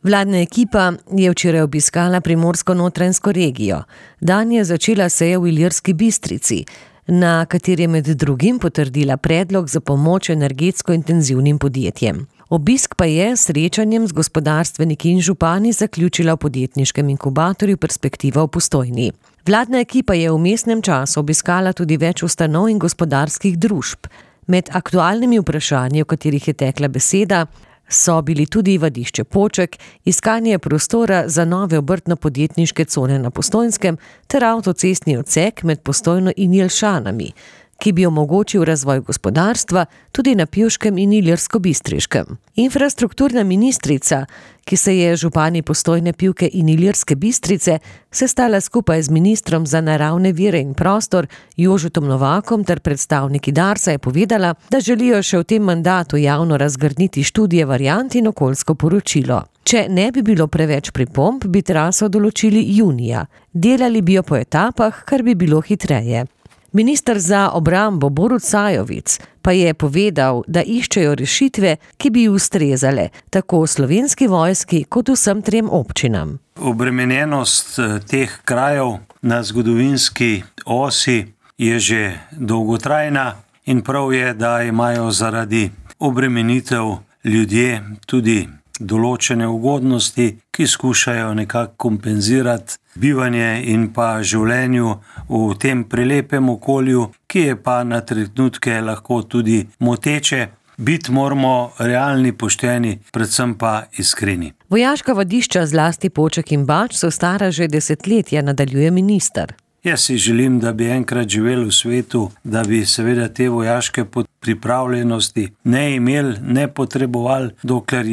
Vladna ekipa je včeraj obiskala Primorsko-notranjsko regijo. Dan je začela seja v Ilirski Bistrici, na kateri je med drugim potrdila predlog za pomoč energetsko intenzivnim podjetjem. Obisk pa je s srečanjem z gospodarstveniki in župani zaključila v podjetniškem inkubatorju Perspektiva v Postojni. Vladna ekipa je v vmesnem času obiskala tudi več ustanov in gospodarskih družb. Med aktualnimi vprašanji, o katerih je tekla beseda, so bili tudi Vadišče Poček, iskanje prostora za nove obrtno-podjetniške cone na Postojnskem ter avtocestni odsek med Postojno in Jelšanami, ki bi omogočil razvoj gospodarstva tudi na Pivškem in Ilirsko-Bistriškem. Infrastrukturna ministrica, ki se je župani Postojne, Pivke in Ilirske Bistrice sestala skupaj z ministrom za naravne vire in prostor Jožetom Novakom ter predstavniki Darsa, je povedala, da želijo še v tem mandatu javno razgrniti študije variant in okoljsko poročilo. Če ne bi bilo preveč pripomb, bi traso določili junija. Delali bi jo po etapah, kar bi bilo hitreje. Minister za obrambo Borut Sajovic pa je povedal, da iščejo rešitve, ki bi ustrezale tako Slovenski vojski kot vsem 3 občinam. Obremenjenost teh krajev na zgodovinski osi je že dolgotrajna in prav je, da imajo zaradi obremenitev ljudje tudi določene ugodnosti, ki skušajo nekako kompenzirati bivanje in pa življenju v tem prelepem okolju, ki je pa na trenutke lahko tudi moteče. Biti moramo realni, pošteni, predvsem pa iskreni. Vojaška vadišča, zlasti Poček in Bač, so stara že desetletja, nadaljuje minister. Jaz si želim, da bi enkrat živeli v svetu, da bi seveda te vojaške pripravljenosti ne imeli, ne potrebovali, dokler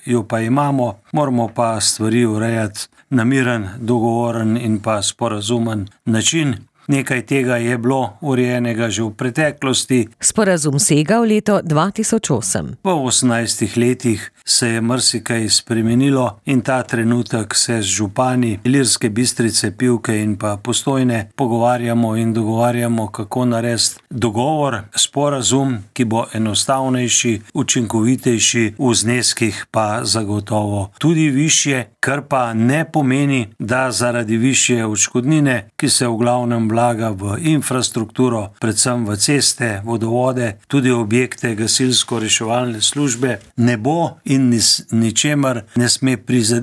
jo pa imamo, moramo pa stvari urejati na miren, dogovoren in pa sporazumen način. Nekaj tega je bilo urejenega že v preteklosti. Sporazum sega v leto 2008. Po 18 letih se je marsikaj spremenilo in ta trenutek se z župani Ilirske Bistrice, Pivke in pa Postojne pogovarjamo in dogovarjamo, kako narediti dogovor, sporazum, ki bo enostavnejši, učinkovitejši, v zneskih pa zagotovo tudi višje, kar pa ne pomeni, da zaradi višje odškodnine, ki se v glavnem vlaga v infrastrukturo, predvsem v ceste, vodovode, tudi objekte gasilsko-reševalne službe, ne bo in ničemer ne sme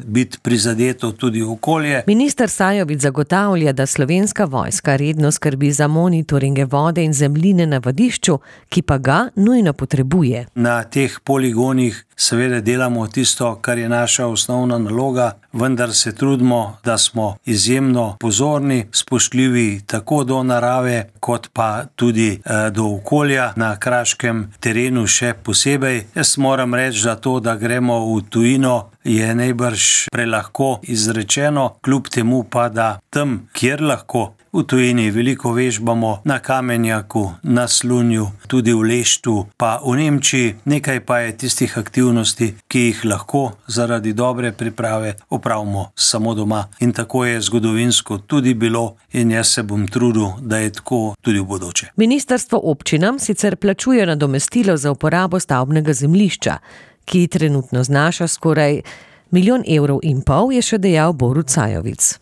biti prizadeto tudi okolje. Minister Sajovic zagotavlja, da Slovenska vojska redno skrbi za monitoringe vode in zemljine na vadišču, ki pa ga nujno potrebuje. Na teh poligonih seveda delamo tisto, kar je naša osnovna naloga, vendar se trudimo, da smo izjemno pozorni, spoštljivi tako do narave, kot pa tudi do okolja na kraškem terenu še posebej. Jaz moram reči, da to, da gremo v tujino, je najbrž prelahko izrečeno, kljub temu pa, da tam, kjer lahko, v tujini veliko vežbamo na Kamenjaku, na Slunju, tudi v Leštu, pa v Nemčiji. Nekaj pa je tistih aktivnosti, ki jih lahko zaradi dobre priprave opravimo samo doma. In tako je zgodovinsko tudi bilo in jaz se bom trudil, da je tako tudi v bodoče. Ministrstvo občinam sicer plačuje nadomestilo za uporabo stavbnega zemljišča, ki trenutno znaša skoraj 1,5 milijona, je še dejal Borut Sajovic.